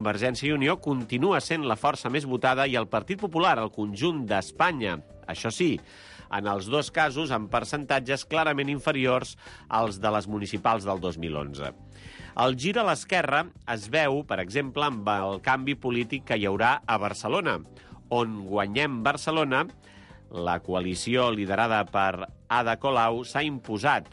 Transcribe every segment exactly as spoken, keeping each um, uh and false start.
Convergència i Unió continua sent la força més votada i el Partit Popular al conjunt d'Espanya. Això sí, en els dos casos amb percentatges clarament inferiors als de les municipals del dos mil onze. El gir a l'esquerra es veu, per exemple, amb el canvi polític que hi haurà a Barcelona, on Guanyem Barcelona, la coalició liderada per Ada Colau, s'ha imposat,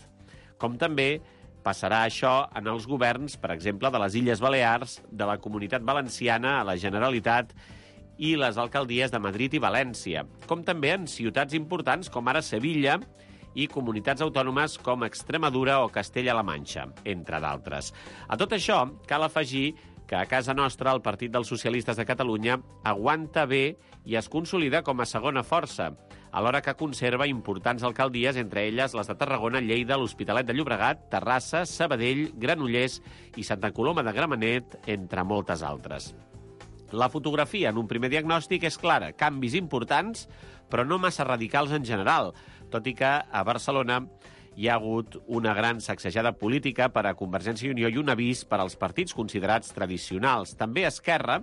com també passarà això en els governs, per exemple, de les Illes Balears, de la Comunitat Valenciana, a la Generalitat i les alcaldies de Madrid i València, com també en ciutats importants com ara Sevilla i comunitats autònomes com Extremadura o Castella-La Manxa, entre d'altres. A tot això, cal afegir que a casa nostra el Partit dels Socialistes de Catalunya aguanta bé i es consolida com a segona força, alhora que conserva importants alcaldies, entre elles les de Tarragona, Lleida, l'Hospitalet de Llobregat, Terrassa, Sabadell, Granollers i Santa Coloma de Gramenet, entre moltes altres. La fotografia en un primer diagnòstic és clara, canvis importants, però no massa radicals en general, tot i que a Barcelona hi ha hagut una gran sacsejada política per a Convergència i Unió i un avís per als partits considerats tradicionals. També Esquerra,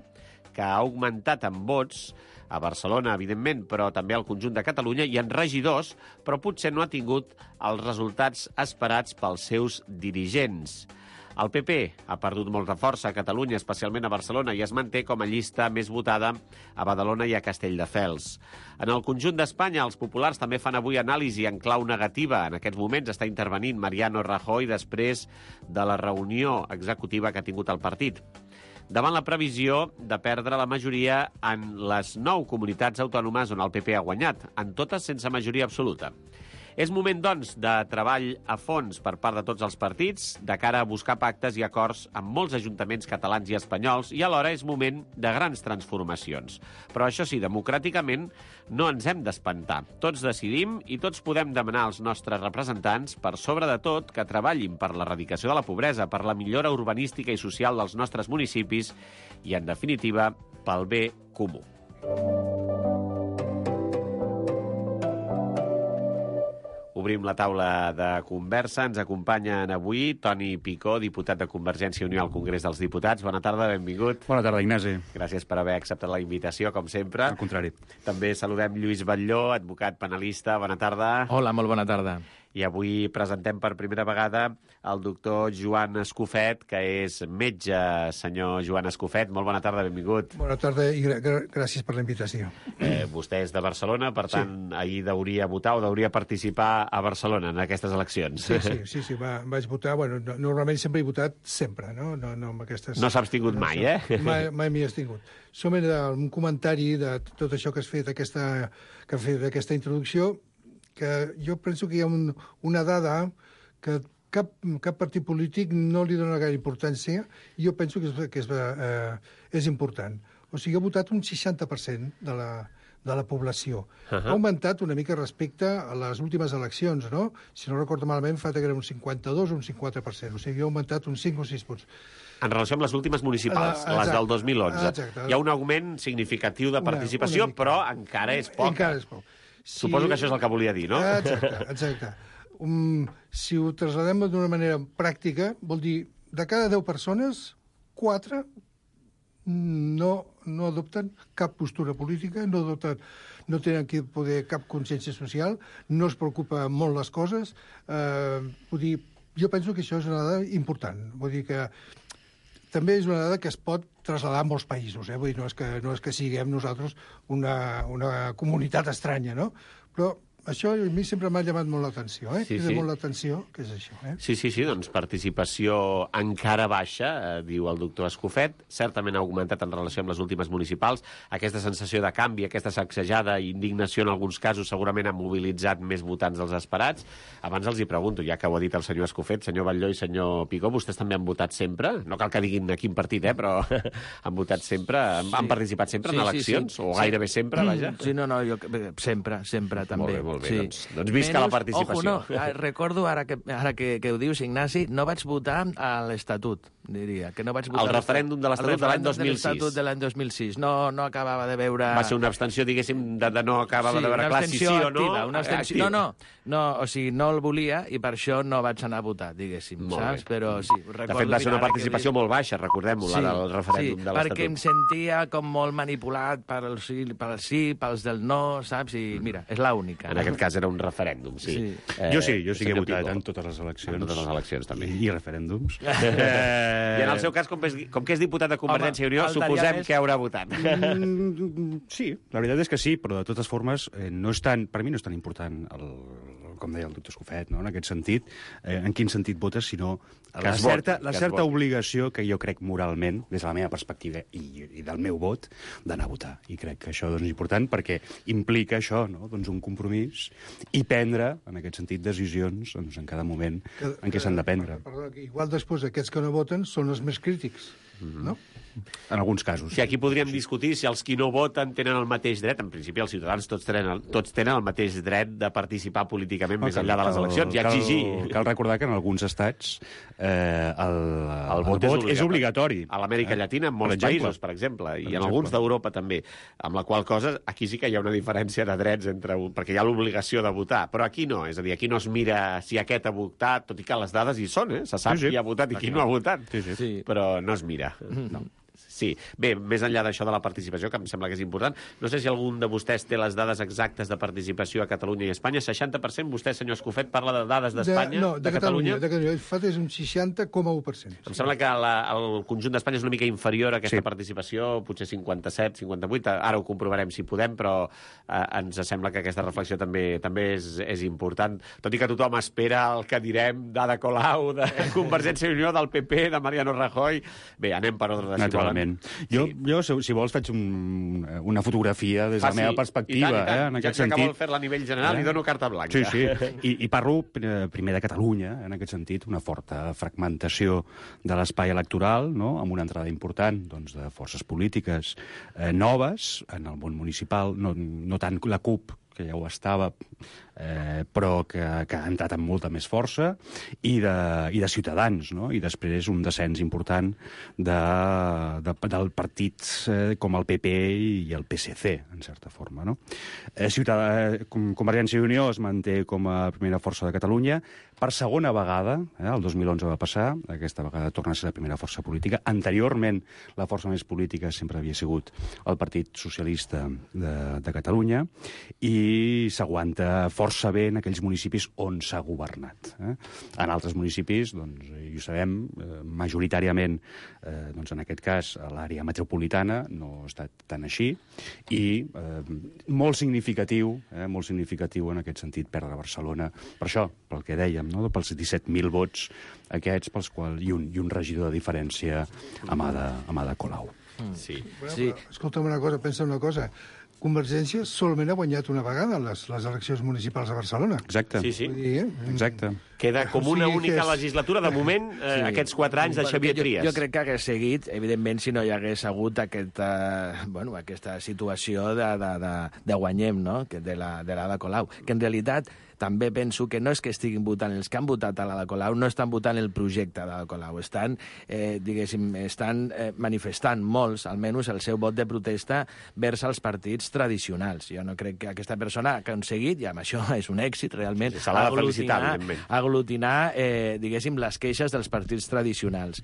que ha augmentat en vots a Barcelona, evidentment, però també al conjunt de Catalunya, i en regidors, però potser no ha tingut els resultats esperats pels seus dirigents. El P P ha perdut molta força a Catalunya, especialment a Barcelona, i es manté com a llista més votada a Badalona i a Castelldefels. En el conjunt d'Espanya, els populars també fan avui anàlisi en clau negativa. En aquests moments està intervenint Mariano Rajoy després de la reunió executiva que ha tingut el partit, davant la previsió de perdre la majoria en les nou comunitats autònomes on el P P ha guanyat, en totes sense majoria absoluta. És moment, doncs, de treball a fons per part de tots els partits, de cara a buscar pactes i acords amb molts ajuntaments catalans i espanyols, i alhora és moment de grans transformacions. Però això sí, democràticament no ens hem d'espantar. Tots decidim i tots podem demanar als nostres representants, per sobre de tot, que treballin per l'erradicació de la pobresa, per la millora urbanística i social dels nostres municipis i, en definitiva, pel bé comú. Obrim la taula de conversa. Ens acompanyen avui Toni Picó, diputat de Convergència i Unió al Congrés dels Diputats. Bona tarda, benvingut. Bona tarda, Ignasi. Gràcies per haver acceptat la invitació, com sempre. Al contrari. També saludem Lluís Batlló, advocat penalista. Bona tarda. Hola, molt bona tarda. I avui presentem per primera vegada el doctor Joan Escofet, que és metge. Senyor Joan Escofet, molt bona tarda, benvingut. Bona tarda i gra gràcies per la invitació. Eh, vostè és de Barcelona, per tant, sí. Ahir deuria votar o deuria participar a Barcelona en aquestes eleccions. Sí, sí, sí, sí va, vaig votar. Bueno, no, normalment sempre he votat, sempre, no? No, no, amb aquestes... no s'ha abstingut mai, eh? Mai, mai m'hi he abstingut. Som un comentari de tot això que has fet, aquesta, que has fet aquesta introducció, que jo penso que hi ha un, una dada que cap, cap partit polític no li dona gaire importància, i jo penso que és, que és, eh, és important. O sigui, ha votat un seixanta per cent de la, de la població. Uh-huh. Ha augmentat una mica respecte a les últimes eleccions, no? Si no recordo malament, fa que era un cinquanta-dos o un cinquanta per cent. O sigui, ha augmentat uns cinc o sis punts. En relació amb les últimes municipals, uh, les del dos mil onze. Exacte. Hi ha un augment significatiu de participació, una, una però encara és poc. Encara és poc. Si... Suposo que això és el que volia dir, no? Exacte, exacte. Um, si ho trasladem d'una manera pràctica, vol dir, de cada deu persones, quatre no, no adopten cap postura política, no, adopten, no tenen que poder cap consciència social, no es preocupa molt les coses. Eh, vull dir, jo penso que això és una dada important. Vull dir que també és una dada que es pot traslladar a molts països, eh? Vull dir, no és que, no és que siguem nosaltres una, una comunitat estranya, no? Però això a mi sempre m'ha llamat molt l'atenció, eh? Sí, Crida sí. molt l'atenció, que és això, eh? Sí, sí, sí, doncs participació encara baixa, eh, diu el doctor Escofet, certament ha augmentat en relació amb les últimes municipals. Aquesta sensació de canvi, aquesta sacsejada i indignació en alguns casos segurament ha mobilitzat més votants dels esperats. Abans els hi pregunto, ja que ho ha dit el senyor Escofet, senyor Batlló i senyor Picó, vostès també han votat sempre? No cal que diguin a quin partit, eh, però han votat sempre, han, sí. han participat sempre sí, en eleccions? Sí, sí. O gairebé sempre, vaja? Sí, no, no, jo, sempre, sempre, també. Molt bé, molt Molt bé, Sí. doncs, doncs visca la Menys, participació. Ojo, no, ah, recordo, ara que, ara que, que ho dius, Ignasi, no vaig votar a l'Estatut, diria. Que no vaig votar El referèndum de l'Estatut de l'any dos mil sis. El referèndum de l'Estatut de l'any dos mil sis. No, no acabava de veure... Va ser una abstenció, diguéssim, de, de no acabava sí, de veure clar si sí o no. Activa, una abstenció... No, no, no, o sigui, no el volia i per això no vaig anar a votar, diguéssim, Molt saps? bé. Però sí, recordo... De fet, va ser una ara que participació dic- molt baixa, recordem-ho, la del referèndum sí, de l'Estatut. perquè em sentia com molt manipulat pel sí, pel sí, pels del no, saps? I mira, és l'única. En aquest cas era un referèndum, sí. Sí. Eh, Jo sí, jo sí que he senyor votat Picó. en totes les eleccions. En totes les eleccions, també. I, i referèndums. I en el seu cas, com, és, com que és diputat de Convergència i Unió, faltaria suposem més. que haurà votat. Mm, sí, la veritat és que sí, però de totes formes, eh, no és tan, per mi no és tan important, el, com deia el doctor Escofet, no? En aquest sentit, eh, en quin sentit votes, sinó Que la es voti, certa, la que es certa voti. obligació que jo crec moralment, des de la meva perspectiva i, i del meu vot, d'anar a votar. I crec que això doncs, és important perquè implica això, no? Doncs un compromís i prendre, en aquest sentit, decisions doncs, en cada moment en què s'han de prendre. Perdona, que igual després aquests que no voten són els més crítics, no? En alguns casos. Si aquí podríem discutir si els qui no voten tenen el mateix dret. En principi, els ciutadans tots tenen el, tots tenen el mateix dret de participar políticament més enllà de les eleccions i exigir. Cal, cal recordar que en alguns estats eh, el, El vot, vot és és obligatori. A l'Amèrica Llatina, en molts Per exemple. països, per exemple, i Per en exemple. alguns d'Europa també. Amb la qual cosa, aquí sí que hi ha una diferència de drets entre un, perquè hi ha l'obligació de votar, però aquí no. És a dir, aquí no es mira si aquest ha votat, tot i que les dades hi són, eh? Se sap Sí, sí. qui ha votat i qui no ha votat. Sí, sí. Sí. Però no es mira. No. Sí. Bé, més enllà d'això de la participació, que em sembla que és important, no sé si algun de vostès té les dades exactes de participació a Catalunya i Espanya. seixanta per cent, vostè, senyor Escofet, parla de dades d'Espanya, De, no, de, de Catalunya? Catalunya. De Catalunya. El fet és un seixanta coma u per cent. Em sembla que la, el conjunt d'Espanya és una mica inferior a aquesta Sí. participació, potser cinquanta-set, cinquanta-vuit, ara ho comprovarem si podem, però eh, ens sembla que aquesta reflexió també també és, és important, tot i que tothom espera el que direm d'Ada Colau, de Convergència i Unió, del P P, de Mariano Rajoy. Bé, anem per ordre de si Naturalment. volen. Jo, Sí. jo, si si vols, faig un, una fotografia des de la Faci. meva I perspectiva, tant, i tant. eh, en ja, aquest ja que vol sentit. fer-la a nivell general, Eh? li dono carta blanca. Sí, sí. I, I parlo eh, primer de Catalunya, en aquest sentit, una forta fragmentació de l'espai electoral, no? Amb una entrada important doncs, de forces polítiques eh, noves en el món municipal, no, no tant la CUP, que ja ho estava, eh, però que, que ha entrat amb molta més força, i de, i de Ciutadans, no? I després un descens important de, de, del partit eh, com el P P i el P S C, en certa forma, no? Eh, Ciutadà, Com- Convergència i Unió es manté com a primera força de Catalunya, per segona vegada, eh, el dos mil onze va passar, aquesta vegada torna a ser la primera força política. Anteriorment, la força més política sempre havia sigut el Partit Socialista de, de Catalunya, i s'aguanta força bé en aquells municipis on s'ha governat. Eh? En altres municipis, doncs, i ho sabem, eh, majoritàriament, eh, doncs en aquest cas, a l'àrea metropolitana no ha estat tan així, i eh, molt significatiu, eh, molt significatiu en aquest sentit perdre Barcelona, per això, pel que dèiem, no? Pels disset mil vots aquests, pels quals, i un, i un regidor de diferència amb Ada, amb Ada Colau. Sí. Bueno, Sí. sí. Escolta'm una cosa, pensa una cosa. Convergència solament ha guanyat una vegada les, les eleccions municipals a Barcelona. Exacte. Sí, sí. Vull dir, eh? Exacte. Queda com una O sigui que única és- legislatura, de moment, eh, Sí. aquests quatre anys de Perquè Xavier jo, Trias. Jo crec que hagués seguit, evidentment, si no hi hagués hagut aquesta, bueno, aquesta situació de, de, de, de guanyem, no?, que de la de l'Ada Colau, que en realitat també penso que no és que estiguin votant, els que han votat a l'Ada Colau no estan votant el projecte d'Ada Colau, estan, eh, diguéssim, estan eh, manifestant molts, almenys el seu vot de protesta vers els partits tradicionals. Jo no crec que aquesta persona ha aconseguit, i amb això és un èxit, realment, Sí, se l'ha de felicitar, evidentment. aglutinar, eh, diguéssim, les queixes dels partits tradicionals.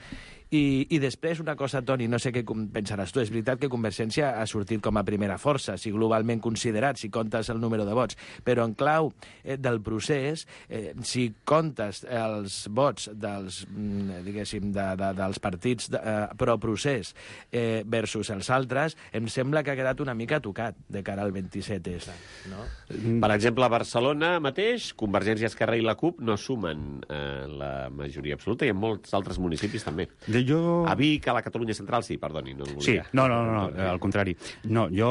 I, I després, una cosa, Toni, no sé què com pensaràs tu, és veritat que Convergència ha sortit com a primera força, si globalment considerat, si comptes el número de vots, però en clau eh, del procés, eh, si comptes els vots dels, mm, diguéssim, de, de, dels partits de, eh, pro-procés eh, versus els altres, em sembla que ha quedat una mica tocat de cara al vint-i-set essa, no? Per exemple, a Barcelona mateix, Convergència, Esquerra i la CUP no, sumen eh, la majoria absoluta i en molts altres municipis també. De jo... A Vic, a la Catalunya Central, sí, perdoni, no el volia. Sí, no, no, no, no, al contrari. No, jo,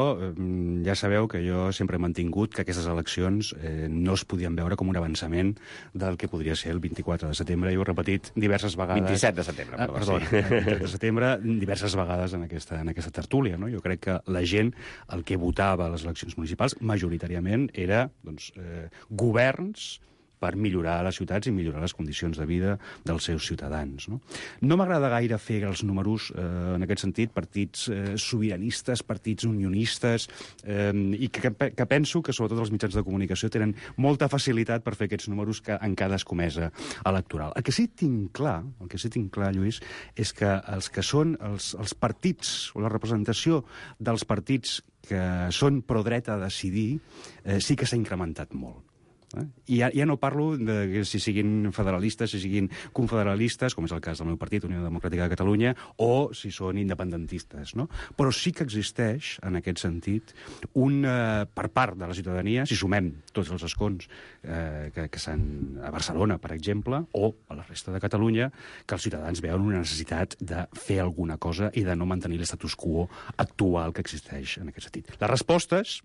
ja sabeu que jo sempre he mantingut que aquestes eleccions eh, no es podien veure com un avançament del que podria ser el vint-i-quatre de setembre. Jo ho he repetit diverses vegades... vint-i-set de setembre, perdó. Ah, perdó, sí. vint-i-set de setembre, diverses vegades en aquesta, en aquesta tertúlia. No? Jo crec que la gent, el que votava a les eleccions municipals, majoritàriament era doncs, eh, governs per millorar les ciutats i millorar les condicions de vida dels seus ciutadans. No, no m'agrada gaire fer els números, eh, en aquest sentit, partits eh, sobiranistes, partits unionistes, eh, i que, que penso que, sobretot, els mitjans de comunicació tenen molta facilitat per fer aquests números que, en cada escomesa electoral. El que sí tinc clar, el que sí tinc clar, Lluís, és que els que són els, els partits, o la representació dels partits que són pro-dreta a decidir, eh, sí que s'ha incrementat molt. Eh? I ja, ja no parlo de que si siguin federalistes, si siguin confederalistes, com és el cas del meu partit, Unió Democràtica de Catalunya, o si són independentistes, no? Però sí que existeix, en aquest sentit, un, eh, per part de la ciutadania, si sumem tots els escons eh, que, que s'han a Barcelona, per exemple, o a la resta de Catalunya, que els ciutadans veuen una necessitat de fer alguna cosa i de no mantenir l'estatus quo actual que existeix en aquest sentit. Les respostes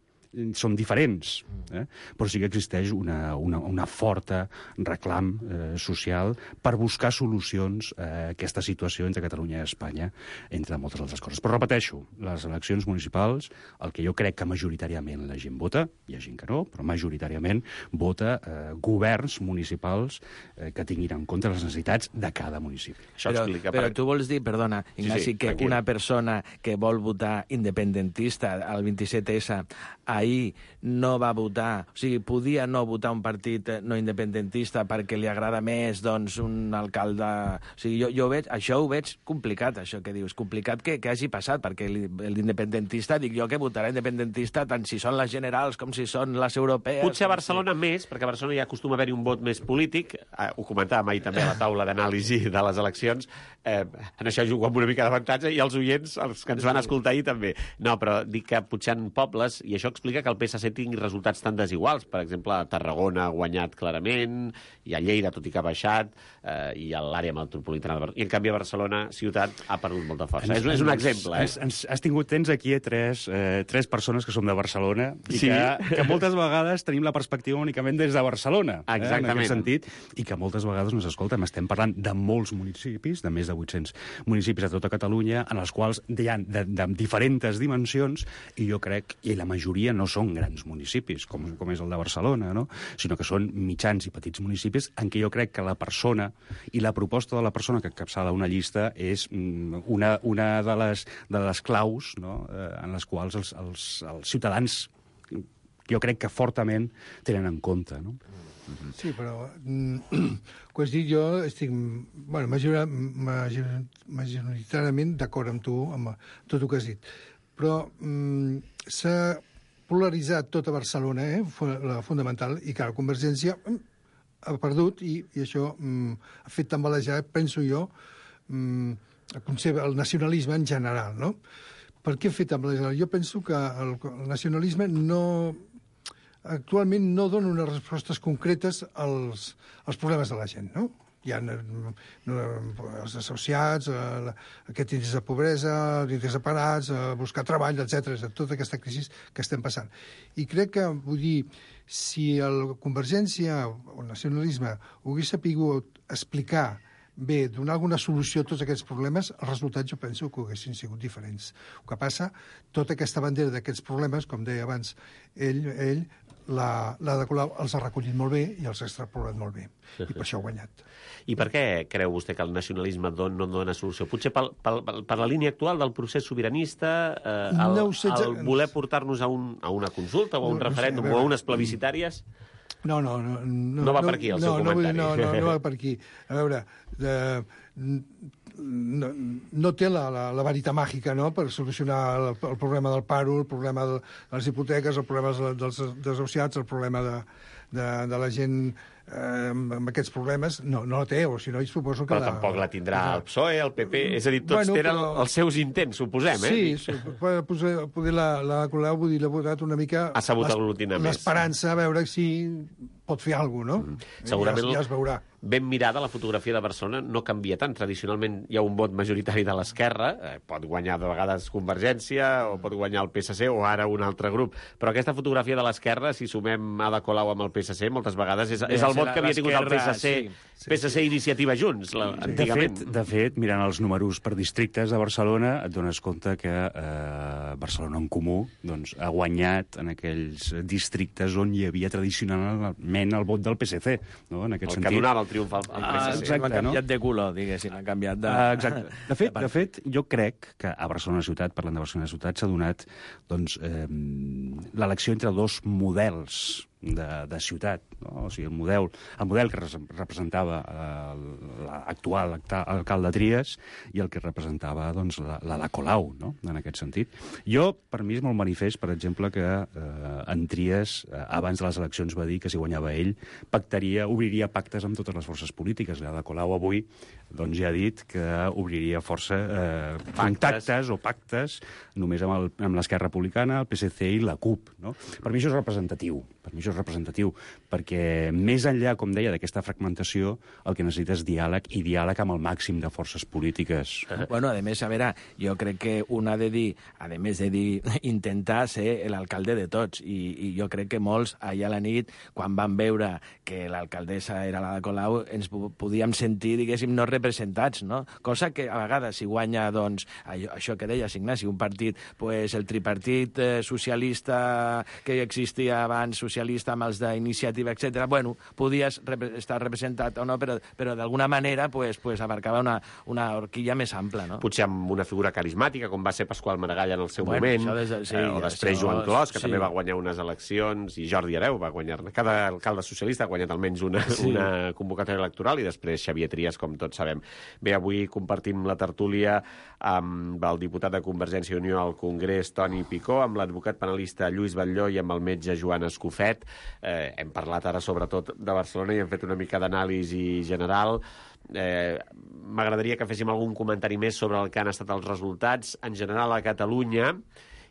són diferents, eh? Però sí que existeix una, una, una forta reclam eh, social per buscar solucions a aquesta situació entre Catalunya i Espanya, entre moltes altres coses. Però repeteixo, les eleccions municipals, el que jo crec que majoritàriament la gent vota, hi ha gent que no, però majoritàriament vota eh, governs municipals eh, que tinguin en compte les necessitats de cada municipi. Això però, explica... però per... tu vols dir, perdona, Ignasi, sí, sí, que tranquil. Una persona que vol votar independentista al vint-i-set essa ahir no va votar, o sigui, podia no votar un partit no independentista perquè li agrada més, doncs, un alcalde... O sigui, jo, jo veig, això ho veig complicat, això que dius, complicat que, que hagi passat, perquè l'independentista, dic jo que votarà independentista tant si són les generals com si són les europees... Potser a Barcelona si... més, perquè a Barcelona ja acostuma a haver-hi un vot més polític, eh, ho comentàvem ahir també a la taula d'anàlisi de les eleccions, eh, en això jugo amb una mica d'avantatge, i els oients, els que ens van escoltar ahir també. No, però dic que potser en pobles, i això explica que el P S C tingui resultats tan desiguals. Per exemple, a Tarragona ha guanyat clarament, i a Lleida, tot i que ha baixat, eh, i a l'àrea metropolitana de Barcelona. I, en canvi, a Barcelona, ciutat, ha perdut molta força. Ens, és, és un exemple, eh? Ens, ens, has tingut, tens aquí tres, eh, tres persones que som de Barcelona i sí. que, que moltes vegades tenim la perspectiva únicament des de Barcelona. Exactament. Eh, en aquest sentit, i que moltes vegades nos escoltem. Estem parlant de molts municipis, de més de vuit-cents municipis a tota Catalunya, en els quals hi ha de, de diferents dimensions, i jo crec, i la majoria no són grans municipis, com, com és el de Barcelona, no? Sinó que són mitjans i petits municipis en què jo crec que la persona i la proposta de la persona que encapçala una llista és una, una de, les, de les claus, no? eh, en les quals els, els, els ciutadans jo crec que fortament tenen en compte, no? Sí, però mm, que has dit, jo estic bueno, major, major, majoritàriament d'acord amb tu, amb tot el que has dit. Però mm, s'ha polaritzat tota Barcelona, eh, la fonamental, i que la Convergència mm, ha perdut, i, i això mm, ha fet tambalejar, penso jo, mm, el concepte, el nacionalisme en general, no? Per què ha fet tambalejar? Jo penso que el, el nacionalisme no... actualment no dona unes respostes concretes als, als problemes de la gent, no? Hi ha no, els associats, eh, aquest índex de pobresa, l'índex de parats, eh, buscar treball, etcètera, tota aquesta crisi que estem passant. I crec que, vull dir, si la Convergència o el nacionalisme ho hagués sapigut explicar bé, donar alguna solució a tots aquests problemes, els resultats jo penso que haguessin sigut diferents. El que passa, tota aquesta bandera d'aquests problemes, com deia abans ell, ell la, la de Colau els ha recollit molt bé i els ha extrapolat molt bé. I per això ha guanyat. I per què creu vostè que el nacionalisme don, no dona solució? Potser per, per, per la línia actual del procés sobiranista, eh, el, no sé, el voler portar-nos a, un, a una consulta o a un no, referèndum no sé, a veure, o a unes plebiscitàries? No, no, no. No, no va per aquí, el no, seu no, comentari. No, no, no va per aquí. A veure, de, no, no té la, la, la varita màgica, no?, per solucionar el, el problema del paro, el problema de les hipoteques, el problema dels desahuciats, el problema de, de, de la gent eh, amb aquests problemes. No, no la té, o si no, suposo que... Però la, tampoc la tindrà el P S O E, el P P... És a dir, tots bueno, tenen però... els seus intents, suposem, eh? Sí, poder, poder la, la Colau, vull dir, l'ha votat una mica... Ha sabut aglutinar més. L'esperança, a veure si pot fer alguna cosa, no? Mm. Segurament ja, ja es veurà. Ben mirada, la fotografia de Barcelona no canvia tant. Tradicionalment hi ha un vot majoritari de l'esquerra, eh, pot guanyar de vegades Convergència, o pot guanyar el P S C, o ara un altre grup. Però aquesta fotografia de l'esquerra, si sumem Ada Colau amb el P S C, moltes vegades és, és el vot que havia tingut el P S C, sí, sí, P S C sí. Iniciativa Junts, la, sí. antigament. De fet, de fet, mirant els números per districtes de Barcelona, et dones compte que eh, Barcelona en Comú doncs, ha guanyat en aquells districtes on hi havia tradicionalment el vot del P S C. No? En aquest el sentit. que donava el triomf al, al P S C. Ah, exacte, han canviat no? de color, diguéssim, han canviat de... Ah, exacte. De fet, de fet, jo crec que a Barcelona Ciutat, parlant de Barcelona Ciutat, s'ha donat doncs, eh, l'elecció entre dos models de, de ciutat. No? O sigui, el model, el model que representava eh, l'actual alcalde Trias i el que representava doncs, la, la de Colau, no? En aquest sentit. Jo, per mi, és molt manifest, per exemple, que eh, en Trias, eh, abans de les eleccions, va dir que si guanyava ell, pactaria, obriria pactes amb totes les forces polítiques. La de Colau avui doncs, ja ha dit que obriria força eh, contactes o pactes només amb l'Esquerra Republicana, el P S C i la CUP. No? Per mi això és representatiu. Per mi això és representatiu, perquè més enllà, com deia, d'aquesta fragmentació, el que necessita és diàleg, i diàleg amb el màxim de forces polítiques. Bueno, a més, a veure, jo crec que un ha de dir, a més de dir, intentar ser l'alcalde de tots, i, i jo crec que molts, allà a la nit, quan van veure que l'alcaldessa era la de Colau, ens podíem sentir, diguéssim, no representats, no? Cosa que, a vegades, si guanya, doncs, això, això que deies, Ignasi, un partit, pues, el tripartit eh, socialista que existia abans, socialista amb els d'iniciativa, etcètera, bueno, podies rep estar representat o no, però, però d'alguna manera pues, pues, abarcava una, una horquilla més ampla, no? Potser amb una figura carismàtica, com va ser Pasqual Maragall en el seu bueno, moment, de, sí, eh, o després això, Joan Clos, que sí. també va guanyar unes eleccions, i Jordi Hereu va guanyar... Cada alcalde socialista ha guanyat almenys una, sí. una convocatòria electoral, i després Xavier Trias, com tots sabem. Bé, avui compartim la tertúlia amb el diputat de Convergència i Unió al Congrés, Toni Picó, amb l'advocat penalista Lluís Batlló i amb el metge Joan Escofet. Eh, hem parlat ara sobretot de Barcelona i hem fet una mica d'anàlisi general. Eh, M'agradaria que féssim algun comentari més sobre el que han estat els resultats en general a Catalunya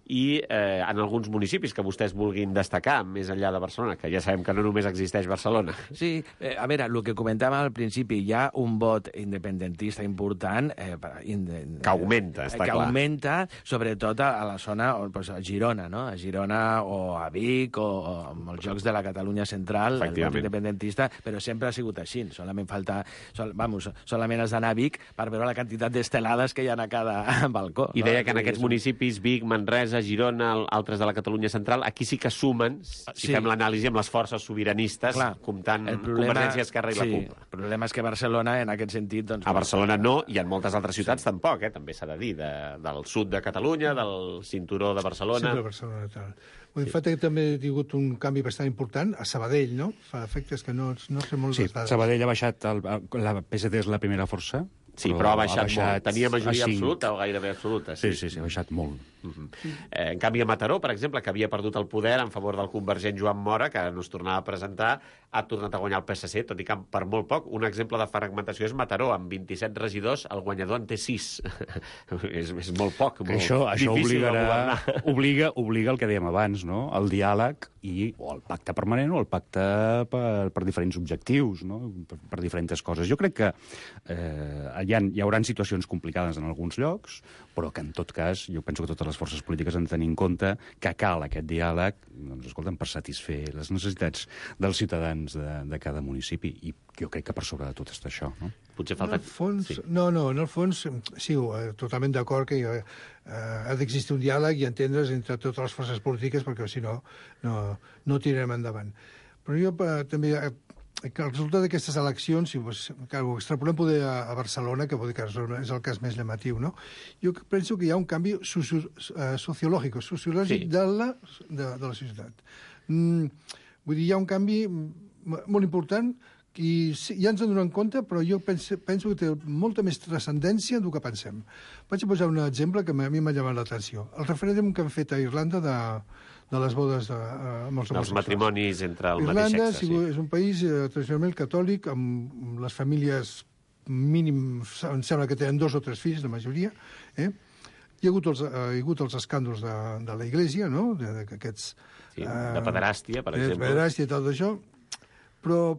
i eh, en alguns municipis que vostès vulguin destacar, més enllà de Barcelona, que ja sabem que no només existeix Barcelona. Sí, eh, a veure, el que comentàvem al principi, hi ha un vot independentista important eh, in, que augmenta, està que clar. Que augmenta, sobretot a, a la zona, pues, a Girona, no? A Girona o a Vic o, o amb els Jocs de la Catalunya Central, el vot independentista, però sempre ha sigut així. Solament falta, sol, vamos, solament has d'anar a Vic per veure la quantitat d'estelades que hi ha a cada balcó. I deia no? que en aquests municipis, Vic, Manresa, a Girona, altres de la Catalunya Central, aquí sí que sumen, si sí. fem l'anàlisi amb les forces sobiranistes, clar, comptant problema, Convergència, Esquerra i sí, la CUP. El problema és que Barcelona, en aquest sentit... Doncs, a Barcelona no, i en moltes altres ciutats sí. tampoc, eh? També s'ha de dir, de, del sud de Catalunya, del cinturó de Barcelona... Sí, de Barcelona, tal. En fet, sí. també ha tingut un canvi bastant important a Sabadell, no? Fa efectes que no, no sé molt sí, les dades. Sabadell ha baixat, el, la P S D és la primera força, sí, però, però ha baixat, ha baixat molt. Tenia majoria absoluta o gairebé absoluta. Sí, sí, sí, sí ha baixat molt. Uh-huh. eh, en canvi, a Mataró, per exemple, que havia perdut el poder en favor del convergent Joan Mora, que no es tornava a presentar, ha tornat a guanyar el P S C, tot i que per molt poc. Un exemple de fragmentació és Mataró, amb vint-i-set regidors, el guanyador en té sis. és, és molt poc, molt això, això difícil obligarà, obliga, obliga el que dèiem abans, no? El diàleg i o el pacte permanent o el pacte per, per diferents objectius, no? per, per diferents coses. Jo crec que eh, hi, ha, hi haurà situacions complicades en alguns llocs, però que en tot cas jo penso que totes les forces polítiques han de tenir en compte que cal aquest diàleg, doncs, escolta'm, per satisfer les necessitats dels ciutadans de, de cada municipi, i jo crec que per sobre de tot està això, no? Potser falta... En el fons, sí. No, no, en el fons, sí, totalment d'acord que eh, ha d'existir un diàleg i entendre's entre totes les forces polítiques, perquè si no, no, no tirarem endavant. Però jo eh, també... Eh, que el resultat d'aquestes eleccions, si pues, que ho extrapolem poder a, a Barcelona, que, que és el cas més llamatiu, no? Jo penso que hi ha un canvi socio, uh, sociològic, sociològic sí. de, la, de, de la societat. Mm, vull dir, hi ha un canvi molt important i sí, ja ens en donem compte, però jo penso, penso que té molta més transcendència del que pensem. Vaig posar un exemple que a mi m'ha llamat l'atenció. El referèndum que han fet a Irlanda de, de les bodes de, uh, amb els homosexuals. Els matrimonis entre el Irlanda mateix sexe. Irlanda és un país eh, tradicionalment catòlic, amb les famílies mínim, em sembla que tenen dos o tres fills, la majoria. Eh? Hi ha hagut els, uh, hi ha hagut els escàndols de, de la Iglesia, no? De, de, aquests, sí, de pederàstia, per uh, exemple. De pederàstia i tot això. Però,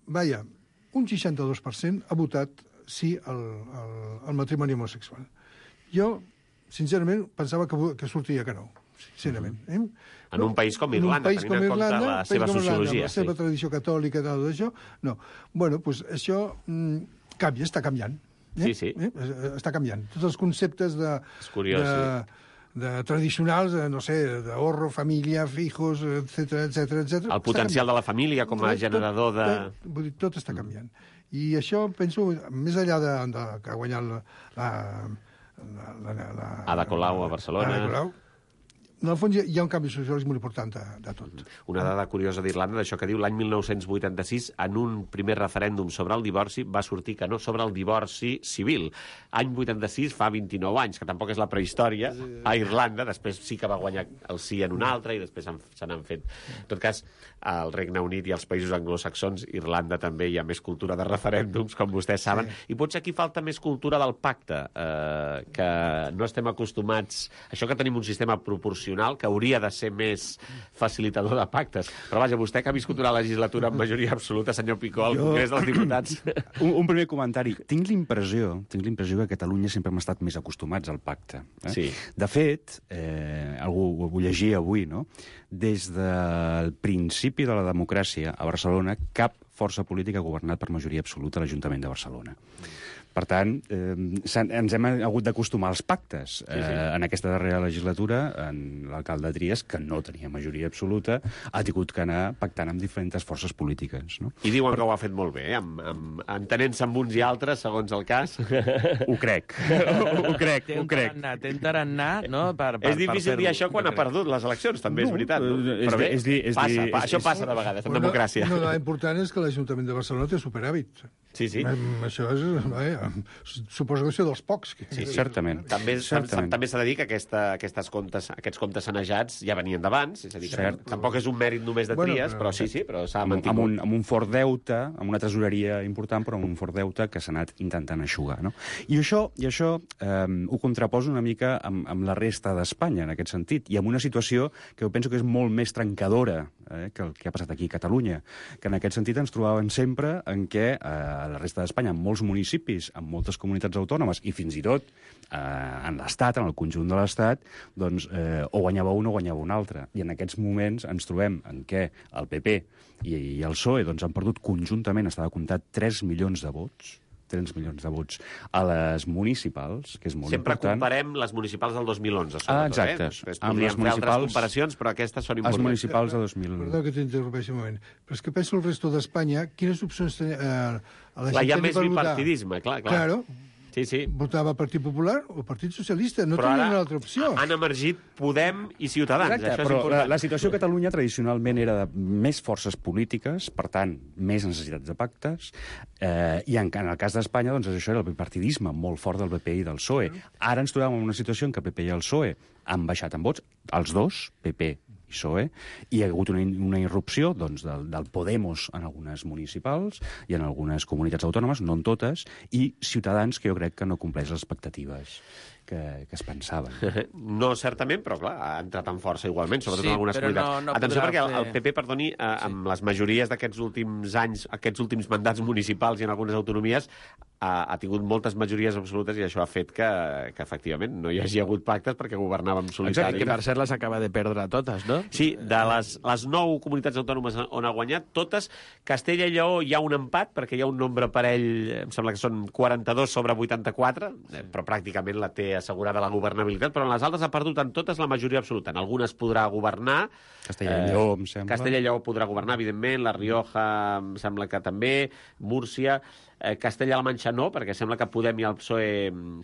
vaja, un seixanta-dos per cent ha votat sí al, al, al matrimoni homosexual. Jo, sincerament, pensava que, que sortia que no, sincerament. Eh? En un país com Irlanda, país tenint en compte Irlanda, la seva com Irlanda, sociologia. la seva sí. tradició catòlica i tal d'això, no. Bueno, doncs això mm, canvia, està canviant. Eh? Sí, sí. Eh? Està canviant. Tots els conceptes de... És curiós, de, sí. de tradicionals, de, no sé, d'ahorro, família, fijos, etcètera, etcètera, etcètera. El potencial de la família com a Tot- generador de... Tot, vull dir, tot està canviant. I això, penso, més enllà de, de que ha guanyat la... la, la, la, la Ada Colau a Barcelona. Ada Colau, en el fons hi ha, hi ha un canvi sociològic molt important de, de tot. Una dada curiosa d'Irlanda, d'això que diu, l'any mil nou-cents vuitanta-sis, en un primer referèndum sobre el divorci, va sortir que no sobre el divorci civil. Any vuitanta-sis, fa vint-i-nou anys, que tampoc és la prehistòria, a Irlanda, després sí que va guanyar el sí en un altre, i després se n'han fet. En tot cas, al Regne Unit i als països anglosaxons, Irlanda també hi ha més cultura de referèndums, com vostès saben, sí. I potser aquí falta més cultura del pacte, eh, que no estem acostumats... Això que tenim un sistema proporcional que hauria de ser més facilitador de pactes. Però vaja, vostè que ha viscut una legislatura amb majoria absoluta, senyor Picó, al Jo- Congrés dels Diputats... Un, un primer comentari. Tinc l'impressió tinc l'impressió que a Catalunya sempre hem estat més acostumats al pacte. Eh? Sí. De fet, eh, algú ho llegia avui, no? Des del principi de la democràcia a Barcelona, cap força política ha governat per majoria absoluta a l'Ajuntament de Barcelona. Per tant, eh, s'han- ens hem hagut d'acostumar als pactes. Sí, sí. Eh, en aquesta darrera legislatura, en l'alcalde Trias, que no tenia majoria absoluta, ha tingut que anar pactant amb diferents forces polítiques. No? I diuen que ho ha fet molt bé, eh? amb, amb, entenent-se amb uns i altres, segons el cas. Ho crec. ho crec, Té ho un crec. tarannà, té un tarannà, no? Per, per, És difícil per dir això quan ha perdut les eleccions, també, és No, veritat. No? eh, és Però bé, dir- és dir- és passa, dir- pa, és- això és- passa de vegades, en Una- democràcia. Una dada important és que l'Ajuntament de Barcelona té superàvit. Sí, sí. Em, Això és... Vaja, suposo que és dels pocs. Que... Sí, sí. Certament. També, Certament. també s'ha de dir que aquesta, aquestes comptes, aquests comptes sanejats ja venien d'abans, és a dir, que Cert. tampoc és un mèrit només de Bueno, Trias, però- però sí, sí, però s'ha Amb, mantingut. amb, un, amb un fort deute, amb una tresoreria important, però amb un fort deute que s'ha anat intentant eixugar. No? I això, i això eh, ho contraposa una mica amb, amb la resta d'Espanya, en aquest sentit, i amb una situació que jo penso que és molt més trencadora eh, que el que ha passat aquí a Catalunya, que en aquest sentit ens trobàvem sempre en què eh, a la resta d'Espanya, en molts municipis, en moltes comunitats autònomes, i fins i tot eh, en l'Estat, en el conjunt de l'Estat, doncs eh, o guanyava un o guanyava un altre. I en aquests moments ens trobem en què el P P i, i el P S O E doncs, han perdut conjuntament, estava comptat, tres milions de vots, tres milions de vots a les municipals, que és molt Sempre important. comparem les municipals del dos mil onze, sobretot. Ah, exacte. Eh? Després Amb podríem les fer altres municipals- comparacions, però aquestes són Els importants. municipals de dos mil... Perdó que t'interrompeixi un moment. Però és que penso el resto d'Espanya, quines opcions tenia... Eh, a la Clar, hi ha gent més per votar? bipartidisme, clar, clar. Claro, Sí, sí. votava Partit Popular o Partit Socialista, no Però tenia ara una altra opció. han emergit Podem i Ciutadans. Exacte, Això és però la, important. la situació a Catalunya tradicionalment era de més forces polítiques, per tant, més necessitats de pactes, eh, i en, en el cas d'Espanya, doncs, això era el bipartidisme molt fort del P P i del P S O E. Ara ens trobem en una situació en què el P P i el P S O E han baixat en vots, els dos, P P i P S O E, i hi ha hagut una, una irrupció doncs, del, del Podemos en algunes municipals i en algunes comunitats autònomes, no en totes, i Ciutadans, que jo crec que no compleix les expectatives que, que es pensaven. No, certament, però clar, ha entrat en força igualment, sobretot Sí, en algunes però comunitats. no- no Atenció, podrà perquè el, fer- el P P, perdoni, eh, amb les majories d'aquests últims anys, aquests últims mandats municipals i en algunes autonomies, ha, ha tingut moltes majories absolutes i això ha fet que, que efectivament no hi hagi hagut pactes perquè governava en solitari. Que per cert les acaba de perdre totes, no? Sí, de les, les nou comunitats autònomes on ha guanyat, totes, Castella i Lleó hi ha un empat, perquè hi ha un nombre parell, em sembla que són quaranta-dos sobre vuitanta-quatre, eh, però pràcticament la té assegurada la governabilitat, però en les altres ha perdut en totes la majoria absoluta. En algunes podrà governar. Castella i Lleó, em sembla. Castella i Lleó podrà governar, evidentment, la Rioja em sembla que també, Múrcia... Eh, Castella-La Manxa no, perquè sembla que Podem i el P S O E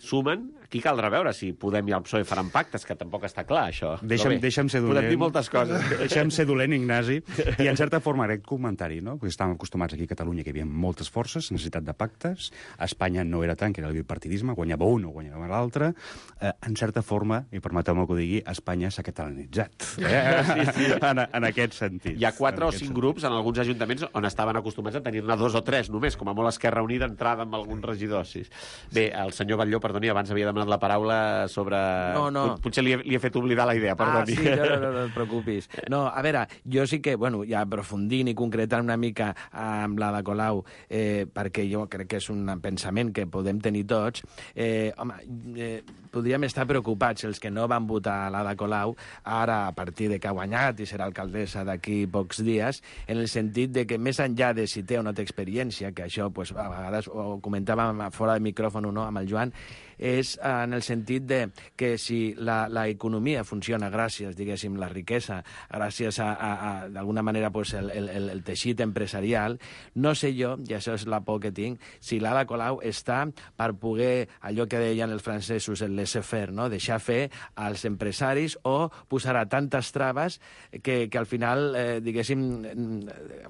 sumen. Aquí caldrà veure si Podem i el P S O E faran pactes, que tampoc està clar, això. Deixa'm, Però bé, deixa'm ser dolent. podem dir moltes coses. Deixa'm ser dolent, Ignasi. I, en certa forma, aquest comentari, no? Perquè estàvem acostumats aquí a Catalunya que hi havia moltes forces, necessitat de pactes. A Espanya no era tant, que era el bipartidisme, guanyava un o guanyava l'altre. Eh, en certa forma, i permeteu-me que ho digui, Espanya s'ha catalanitzat. Eh? Sí, sí. En, en aquest sentit. Hi ha quatre En o aquest cinc sentit. grups en alguns ajuntaments on estaven acostumats a tenir-ne dos o tres només, com a molt Esquerra Unida reunir d'entrada amb alguns regidors. Sí. Bé, el senyor Batlló, perdoni, abans havia demanat la paraula sobre... No, no. Potser li he, li he fet oblidar la idea, perdoni. Ah, sí, no, no, no et preocupis. No, a veure, jo sí que, bueno, ja aprofundint i concretant una mica amb l'Ada Colau, eh, perquè jo crec que és un pensament que podem tenir tots, eh, home, eh, podríem estar preocupats els que no van votar a l'Ada Colau, ara, a partir de que ha guanyat i serà alcaldessa d'aquí pocs dies, en el sentit de que més enllà de si té o no té experiència, que això pues, a vegades ho comentàvem fora de micròfon o no amb el Joan, és en el sentit de que si l'economia funciona gràcies, diguéssim, la riquesa, gràcies a, a, a d'alguna manera, pues, el, el, el teixit empresarial, no sé jo, i això és la por que tinc, si l'Ada Colau està per poder, allò que deien els francesos, el laissez-faire, no? Deixar fer als empresaris o posarà tantes traves que, que al final, eh, diguéssim,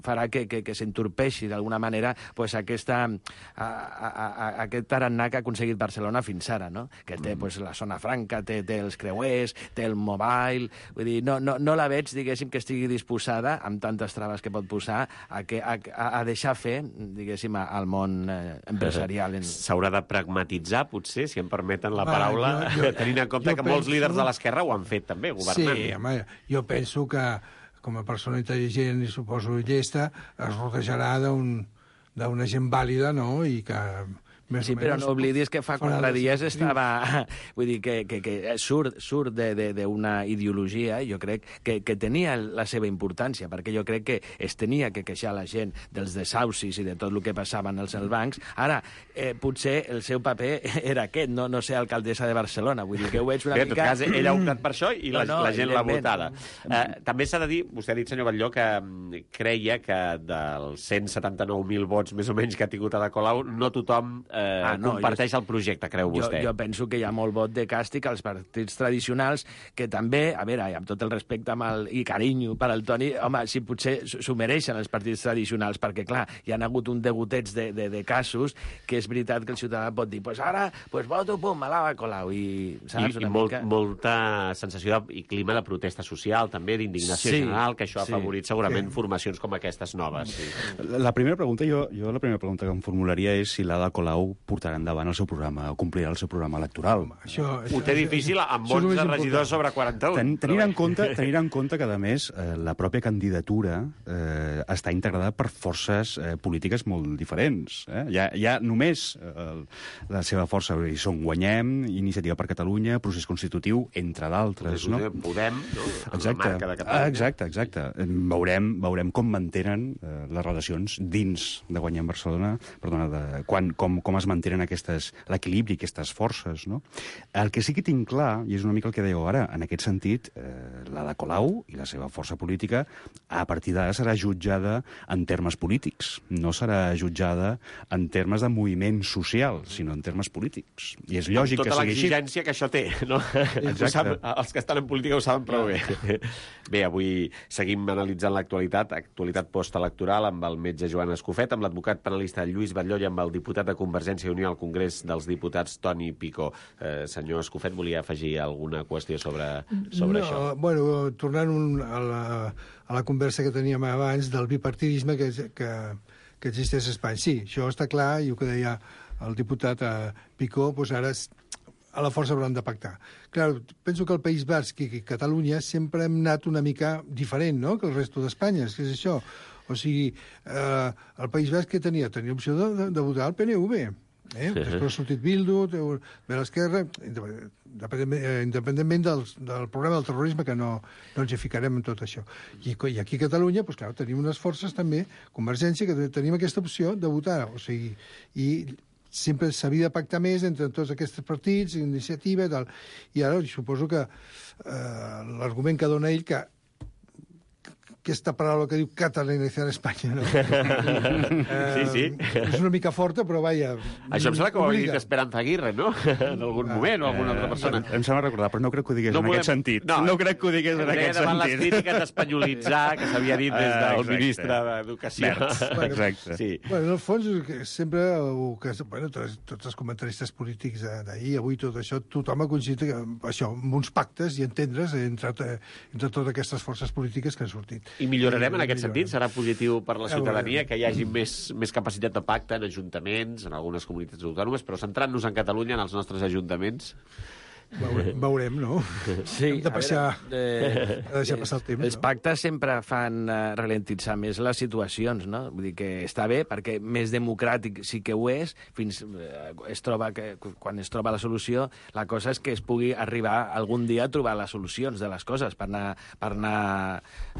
farà que, que, que s'entorpeixi d'alguna manera pues, aquesta, a, a, a, aquest tarannà que ha aconseguit Barcelona fins ara, no? Que té pues, la zona franca, té, té els creuers, té el mobile... Vull dir, no, no, no la veig, diguéssim, que estigui disposada, amb tantes traves que pot posar, a, que, a, a deixar fer, diguéssim, al món eh, empresarial. En... S'haurà de pragmatitzar, potser, si em permeten la paraula, ah, jo, jo, tenint en compte que penso... molts líders de l'esquerra ho han fet, també, governant. Sí, home, jo penso que com a persona intel·ligent i suposo llesta, es rodejarà d'una gent vàlida, no?, i que... Sí, però no oblidis que fa quatre dies estava... Vull dir, que, que, que surt, surt d'una ideologia, jo crec, que, que tenia la seva importància, perquè jo crec que es tenia que queixar la gent dels desaucis i de tot el que passava en els bancs. Ara, eh, potser el seu paper era aquest, no, no ser alcaldessa de Barcelona. Vull dir que ho veig una Bé, mica... En tot cas, ell ha optat per això i la, no, no, la gent l'ha votada. Eh, també s'ha de dir, vostè ha dit, senyor Batlló, que creia que dels cent setanta-nou mil vots, més o menys, que ha tingut Ada Colau, no tothom... Eh, Ah, no, comparteix jo, el projecte, creu vostè? Jo, jo penso que hi ha molt vot de càstig als partits tradicionals, que també, a veure, amb tot el respecte amb el, i carinyo per al Toni, home, si potser s'ho mereixen els partits tradicionals, perquè, clar, hi ha hagut un degotets de, de, de casos que és veritat que el ciutadà pot dir pues ara, pues voto, pum, a l'Ada Colau, i, saps, I, una i molt, mica... molta sensació de, i clima de protesta social, també, d'indignació sí, general, que això ha sí, afavorit segurament sí. formacions com aquestes noves. Sí. La primera pregunta, jo, jo la primera pregunta que em formularia és si l'Ada Colau portarà endavant el seu programa, complirà el seu programa electoral. Això, això, Ho té difícil amb onze regidors sobre quaranta-un. Ten, tenint, en compte, tenint en compte que, a més, eh, la pròpia candidatura eh, està integrada per forces eh, polítiques molt diferents. Eh? Hi, ha, hi ha només eh, la seva força, hi són Guanyem, Iniciativa per Catalunya, Procés Constitutiu, entre d'altres. No? Podem, no? Exacte. La marca de Catalunya. Exacte, exacte. Veurem, veurem com mantenen eh, les relacions dins de Guanyem Barcelona, perdona, de, quan, com, com es mantenen aquestes l'equilibri, aquestes forces, no? El que sí que tinc clar, i és una mica el que dèieu ara, en aquest sentit, eh, l'Ada Colau i la seva força política, a partir d'ara serà jutjada en termes polítics, no serà jutjada en termes de moviment social, sinó en termes polítics. I és lògic que sigui així. Amb tota l'exigència que això té, no? Sap, els que estan en política ho saben prou bé. Bé, avui seguim analitzant l'actualitat, actualitat postelectoral, amb el metge Joan Escofet, amb l'advocat penalista Lluís Batlló i amb el diputat de Convergència i Unió al Congrés dels Diputats, Toni Picó. Eh, senyor Escofet, volia afegir alguna qüestió sobre, sobre no, això? Bueno, tornant un, a, la, a la conversa que teníem abans del bipartidisme que, que, que existeix a Espanya. Sí, això està clar, i el que deia el diputat eh, Picó, doncs ara a la força hauran de pactar. Clar, penso que el País Basc i Catalunya sempre hem anat una mica diferent, no?, que el resto d'Espanya, és que és això. O sigui, eh, el País Basc que tenia? Tenia opció de, de, de votar el P N V. Eh? Sí. Després ha sortit Bildu, de l'esquerra, independentment del, del problema del terrorisme, que no, no ens hi ficarem en tot això. I, i aquí a Catalunya, doncs, clar, tenim unes forces també, Convergència, que tenim aquesta opció de votar. O sigui, i sempre s'havia de pactar més entre tots aquests partits, iniciativa i tal. I ara suposo que eh, l'argument que dona ell, que aquesta paraula que diu catalanitzar Espanya, no? Sí, sí. Eh, és una mica forta, però vaja... Això em sembla que ho havia dit Esperanza Aguirre, no? En algun moment, o alguna altra persona. Em sembla recordar, però no crec que ho digués no en volem... aquest sentit. No, no crec que ho digués en aquest sentit. Davant les crítiques d'espanyolitzar, que s'havia dit des del uh, ministre d'Educació. Bueno, exacte. Sí. Bueno, en el fons, sempre, que, bueno, tots, tots els comentaristes polítics d'ahir, avui, tot això, tothom ha coincidit això, amb uns pactes i entendre's entre, entre totes aquestes forces polítiques que han sortit. I millorarem en I aquest millorem. sentit? Serà positiu per la Ja ciutadania veurem. que hi hagi més, més capacitat de pacte en ajuntaments, en algunes comunitats autònomes, però centrant-nos en Catalunya, en els nostres ajuntaments... Veurem, veurem, no? Sí, Hem de passar, a veure, eh, hem de deixar passar el temps. els no? pactes sempre fan uh, ralentitzar més les situacions, no? Vull dir que està bé, perquè més democràtic sí que ho és, fins uh, es troba que, quan es troba la solució, la cosa és que es pugui arribar algun dia a trobar les solucions de les coses per anar, per anar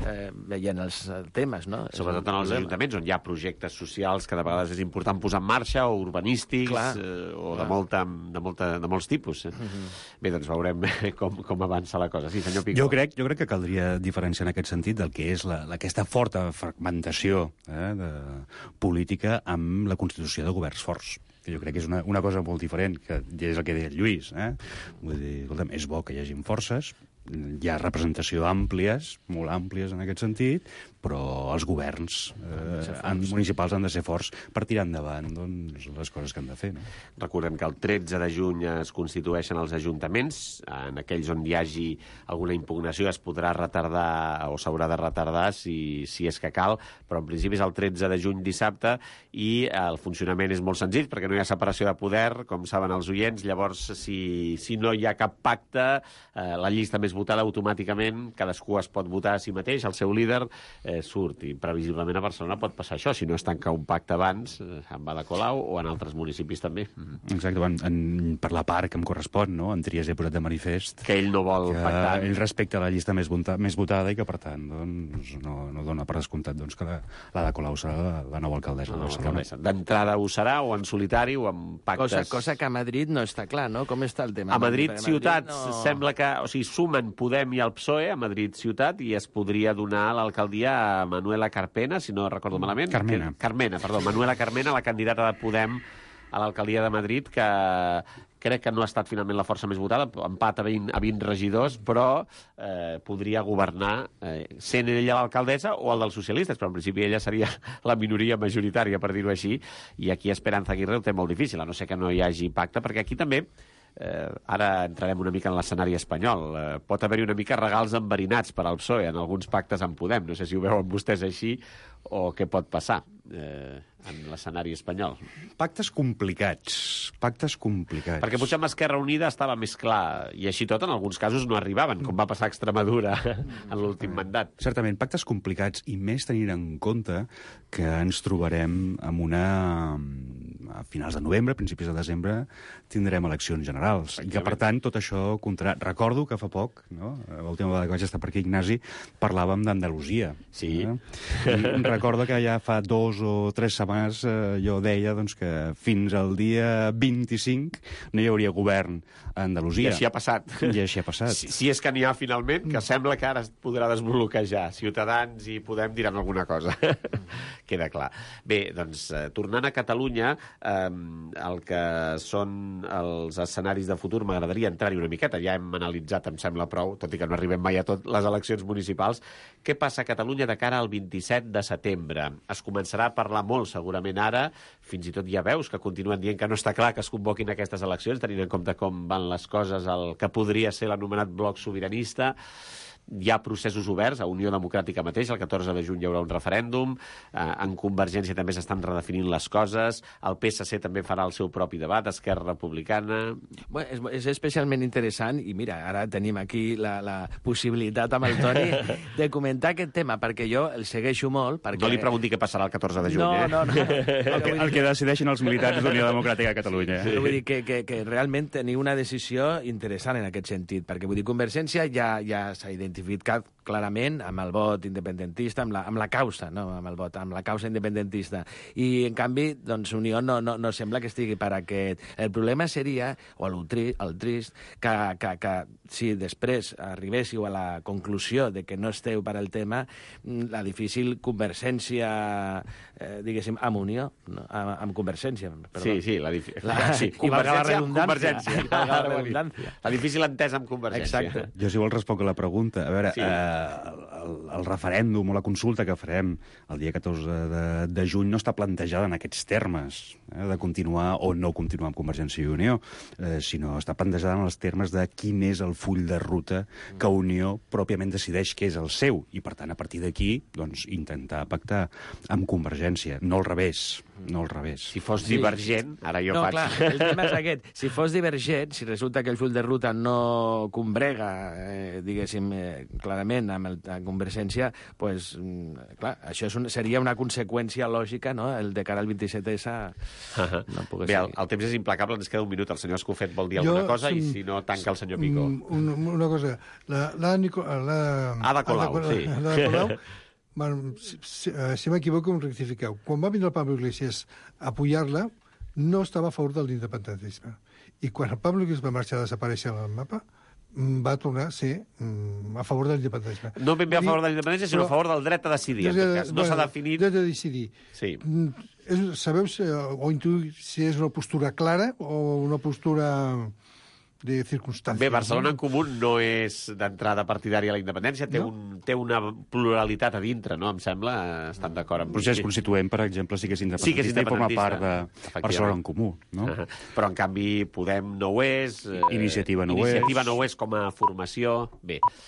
eh, veient els temes, no? Sobretot en els ajuntaments, on hi ha projectes socials que de vegades és important posar en marxa, o urbanístics, Clar, eh, o clar. de, molta, de, molta, de molts tipus. Eh? Uh-huh. Bé, doncs veurem com, com avança la cosa. Sí, senyor Picó. Jo crec, jo crec que caldria diferenciar en aquest sentit del que és la, la, aquesta forta fragmentació eh, de política amb la constitució de governs forts, que jo crec que és una, una cosa molt diferent, que és el que deia el Lluís. Eh? Vull dir, escolta'm, és bo que hi hagin forces, hi ha representació àmplies, molt àmplies en aquest sentit, però els governs eh, han, municipals han de ser forts per tirar endavant doncs, les coses que han de fer. No? Recordem que el tretze de juny es constitueixen els ajuntaments. En aquells on hi hagi alguna impugnació es podrà retardar o s'haurà de retardar si, si és que cal, però en principi és el tretze de juny dissabte i el funcionament és molt senzill perquè no hi ha separació de poder, com saben els oients. Llavors, si, si no hi ha cap pacte, eh, la llista més votada automàticament, cadascú es pot votar a si mateix, el seu líder eh, surt, i previsiblement a Barcelona pot passar això, si no es tanca un pacte abans, eh, en Ada Colau o en altres municipis també. Mm-hmm. Exacte, en, en, per la part que em correspon, no? En Trias he posat de manifest Que ell no vol que pactar. ell respecta la llista més, vota, més votada i que, per tant, doncs, no, no dona per descomptat doncs, que la, la de Colau serà la, la nova alcaldessa No, de Barcelona. no, D'entrada ho serà, o en solitari, o amb pactes... Cosa, cosa que a Madrid no està clar, no? Com està el tema? A Madrid, Perquè ciutat, no... sembla que... O sigui, sumen Podem i el P S O E a Madrid, ciutat, i es podria donar l'alcaldia a Manuela Carpena, si no recordo malament. Carmena. Que, Carmena, perdó. Manuela Carmena, la candidata de Podem a l'alcaldia de Madrid, que crec que no ha estat finalment la força més votada, empat a vint, a vint regidors, però eh, podria governar eh, sent ella l'alcaldessa o el dels socialistes, però en principi ella seria la minoria majoritària, per dir-ho així, i aquí Esperanza Aguirre ho té molt difícil, a no ser que no hi hagi pacte, perquè aquí també Eh, ara entrarem una mica en l'escenari espanyol. Eh, pot haver-hi una mica regals enverinats per al P S O E en alguns pactes en Podem. No sé si ho veuen vostès així o què pot passar eh, en l'escenari espanyol. Pactes complicats, pactes complicats. Perquè potser amb Esquerra Unida estava més clar, i així tot en alguns casos no arribaven, com va passar a Extremadura en l'últim mandat. Certament, pactes complicats, i més tenint en compte que ens trobarem amb una... a finals de novembre, principis de desembre, tindrem eleccions generals. I que, per tant, tot això comptarà. Recordo que fa poc, no? L'última vegada que vaig estar per aquí, Ignasi, parlàvem d'Andalusia. Sí. Eh? I recordo que ja fa dos o tres setmanes eh, jo deia doncs, que fins al dia vint-i-cinc no hi hauria govern a Andalusia. I així ha passat. I així ha passat. Si, si és que n'hi ha finalment, que sembla que ara es podrà desbloquejar. Ciutadans i Podem diran alguna cosa. Queda clar. Bé, doncs, eh, tornant a Catalunya, eh, el que són els escenaris de futur, m'agradaria entrar-hi una miqueta. Ja hem analitzat, em sembla prou, tot i que no arribem mai a tot, les eleccions municipals. Què passa a Catalunya de cara al vint-i-set de setembre? Es començarà a parlar molt, segurament ara, fins i tot hi ha veus que continuen dient que no està clar que es convoquin aquestes eleccions, tenint en compte com van les coses, el que podria ser l'anomenat bloc sobiranista. Hi ha processos oberts a Unió Democràtica mateix, el catorze de juny hi haurà un referèndum, eh, en Convergència també s'estan redefinint les coses, el P S C també farà el seu propi debat, Esquerra Republicana... Bueno, és, és especialment interessant, i mira, ara tenim aquí la, la possibilitat amb el Toni de comentar aquest tema, perquè jo el segueixo molt. Perquè... No li pregunti què passarà el catorze de juny, no, eh? No, no, no. El que, el que decideixen els militants d'Unió Democràtica a Catalunya. Sí. Vull dir que, que, que realment teniu una decisió interessant en aquest sentit, perquè vull dir, Convergència ja, ja s'ha identificat clarament amb el vot independentista, amb la, amb la causa, no amb el vot, amb la causa independentista. I, en canvi, doncs, Unió no, no, no sembla que estigui per aquest. El problema seria, o el, tri, el trist, que, que, que si després arribéssiu a la conclusió de que no esteu per al tema, la difícil Convergència, eh, diguéssim, amb Unió, no? amb, amb Convergència, perdó. Sí, sí, la, dif... la, sí, i valga la redundància. Convergència. I valga la redundància. La difícil entesa amb Convergència. Exacte. Jo, si vols, responc a la pregunta. A veure, Sí. eh, el, el referèndum o la consulta que farem el dia catorze de, de juny no està plantejada en aquests termes. eh, de continuar o no continuar amb Convergència i Unió, eh, sinó està plantejada en els termes de quin és el full de ruta que Unió pròpiament decideix que és el seu, i per tant, a partir d'aquí, doncs, intentar pactar amb Convergència, no al revés, no al revés. Si fos sí. divergent, ara jo no, faig... Clar, el tema és aquest. Si fos divergent, si resulta que el full de ruta no combrega, eh, diguéssim, eh, clarament amb, el, amb Convergència, pues, mm, clar, això és un, seria una conseqüència lògica, no?, el de cara al vint-i-set essa... Uh-huh. No Bé, el, el temps és implacable, ens queda un minut. El senyor Escofet vol dir alguna jo, cosa som, i si no, tanca el senyor Picó. Una, una cosa, la, la, Nico, la Ada Colau, Ada, sí. La, la Colau, bueno, si, si, si m'equivoco, em rectifiqueu. Quan va vindre el Pablo Iglesias a apoyar-la, no estava a favor de l'independentisme. I quan el Pablo Iglesias va marxar a desaparèixer al mapa, va tornar a ser mm, a favor de l'independentisme. No ben bé a favor de l'independència, sinó a favor del dret a decidir, en tot cas. No s'ha definit... Dret a decidir. Sí. És, sabeu si, o intuïu si és una postura clara o una postura de circumstàncies? Bé, Barcelona en Comú no és d'entrada partidària a la independència, té, no? un, té una pluralitat a dintre, no? Em sembla, estan d'acord amb... El procés constituent, per exemple, sí que és independentista, sí que és independentista i forma part de Barcelona en Comú, no? Uh -huh. Però, en canvi, Podem no ho és... Iniciativa no Iniciativa ho és. no ho és com a formació... Bé,